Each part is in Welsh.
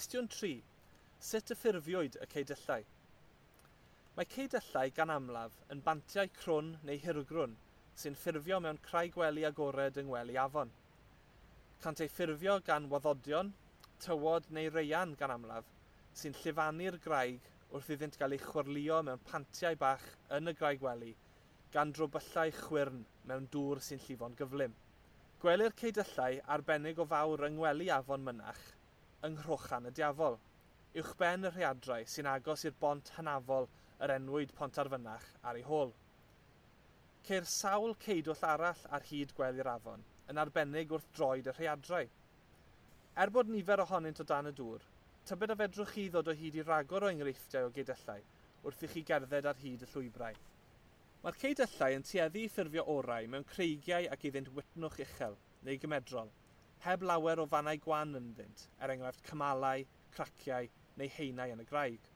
Cwestiwn 3. Sut y ffurfiwyd y ceudyllau? Mae ceudyllau gan amlaf yn bantiau crwn neu hirgrwn sy'n ffurfio mewn craig gwely agored yng ngwely afon. Cant eu ffurfio gan waddodion, tywod neu raean gan amlaf, sy'n llifanu'r graig wrth iddynt gael eu chwyrlïo mewn pantiau bach yn y graig wely, gan drobyllau chwyrn mewn dŵr sy'n llifo'n gyflym. Gwelir ceudyllau arbennig o fawr yng ngwely afon Mynach yng Nghrochan y Diafol, uwchben y rhaeadrau sy'n agos i'r bont hynafol yr enwyd Pontarfynach ar ei hôl. Ceir sawl ceudwll arall ar hyd gwely'r afon, yn arbennig wrth droed y rhaeadrau. Er bod nifer ohonynt o dan y dŵr, tybed a fedrwch chi ddod o hyd i ragor o enghreifftiau o geudyllau wrth i chi gerdded ar hyd y llwybrau. Mae'r ceudyllau yn tueddu i ffurfio orau mewn creigiau ac iddynt wytnwch uchel neu gymedrol, heb lawer o fannau gwan ynddynt, er enghraifft cymalau, craciau neu haenau yn y graig.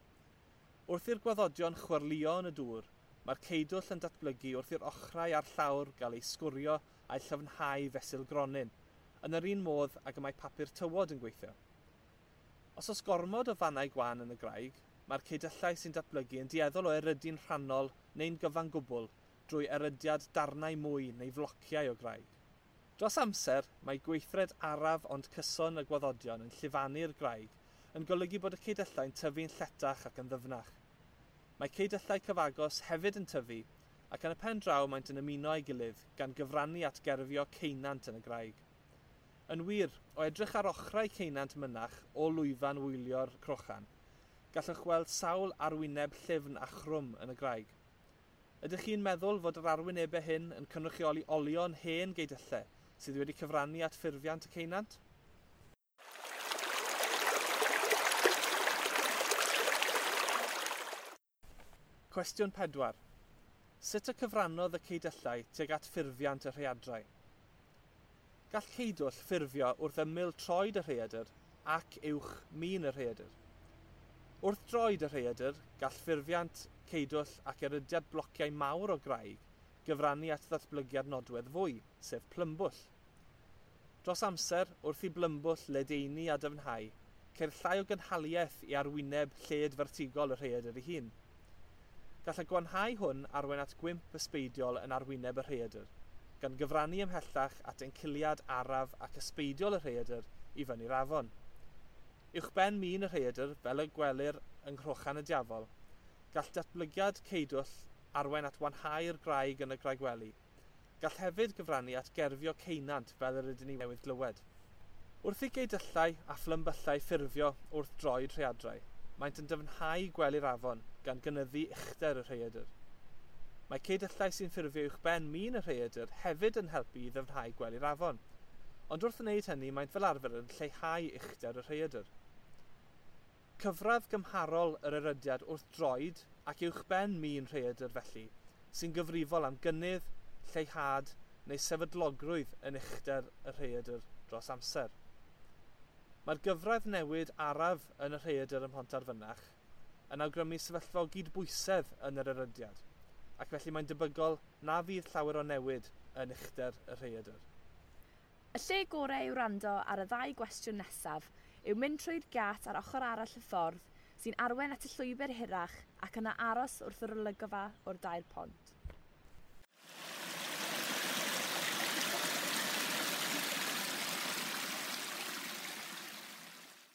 Wrth i'r gwaddodion chwyrlïo yn y dŵr, mae'r ceudwll yn datblygu wrth i'r ochrau a'r llawr gael eu sgwrio a'u llyfnhau fesul gronyn, yn yr un modd ag y mae papur tywod yn gweithio. Os oes gormod o fannau gwan yn y graig, mae'r ceudyllau sy'n datblygu yn dueddol o erydu'n rhannol neu'n gyfan gwbl drwy erydiad darnau mwy neu flociau o graig. Dros amser, mae gweithred araf ond cyson y gwaddodion yn llifanu'r graig yn golygu bod y ceudyllau'n tyfu'n lletach ac yn ddyfnach. Mae ceudyllau cyfagos hefyd yn tyfu ac yn y pen draw maent yn ymuno â'i gilydd gan gyfrannu at gerfio ceunant yn y graig. Yn wir, o edrych ar ochrau ceunant Mynach o lwyfan wylio'r crochan, gallwch weld sawl arwyneb llyfn a chrwm yn y graig. Ydych chi'n meddwl fod yr arwynebau hyn yn cynrychioli olion hen geudyllau sydd wedi cyfrannu at ffurfiant y ceunant? Cwestiwn 4. Sut y cyfrannodd y ceudyllau tuag at ffurfiant y rhaeadrau? Gall ceudwll ffurfio wrth ymyl troed y rhaeadr ac uwch min y rhaeadr. Wrth droed y rhaeadr, gall ffurfiant ceudwll ac erydiad blociau mawr o graig gyfrannu at ddatblygiad nodwedd fwy, sef plymbwll. Dros amser, wrth i blymbwll ledaenu a dyfnhau, ceir llai o gynhaliaeth i arwyneb lled fertigol y rhaeadr ei hun. Gall y gwanhau hwn arwain at gwymp ysbeidiol yn arwyneb y rhaeadr, gan gyfrannu ymhellach at enciliad araf ac ysbeidiol y rhaeadr i fyny'r afon. Uwchben min y rhaeadr, fel y gwelir yng Nghrochan y Diafol, gall datblygiad ceudwll arwain at wanhau'r graig yn y graigwely. Gall hefyd gyfrannu at gerfio ceunant fel yr ydyn ni newydd glywed. Wrth i geudyllau a phlymbyllau ffurfio wrth droed rhaeadrau, maent yn dyfnhau gwely'r afon gan gynyddu uchder y rhaeadr. Mae ceudyllau sy'n ffurfio uwchben min y rhaeadr hefyd yn helpu i ddyfnhau gwely'r afon, ond wrth wneud hynny maent fel arfer yn lleihau uchder y rhaeadr. Cyfradd gymharol yr erydiad wrth droed ac uwchben min rhaeadr felly, sy'n gyfrifol am gynnydd, lleihad neu sefydlogrwydd yn uchder y rhaeadr dros amser. Mae'r gyfradd newid araf yn y rhaeadr ym Mhontarfynach yn awgrymu sefyllfa o gydbwysedd yn yr erydiad, ac felly mae'n debygol na fydd llawer o newid yn uchder y rhaeadr. Y lle gorau i wrando ar y ddau gwestiwn nesaf yw mynd trwy'r giât ar ochr arall y ffordd sy'n arwain at y llwybr hirach ac yna aros wrth yr olygfa o'r dair pont.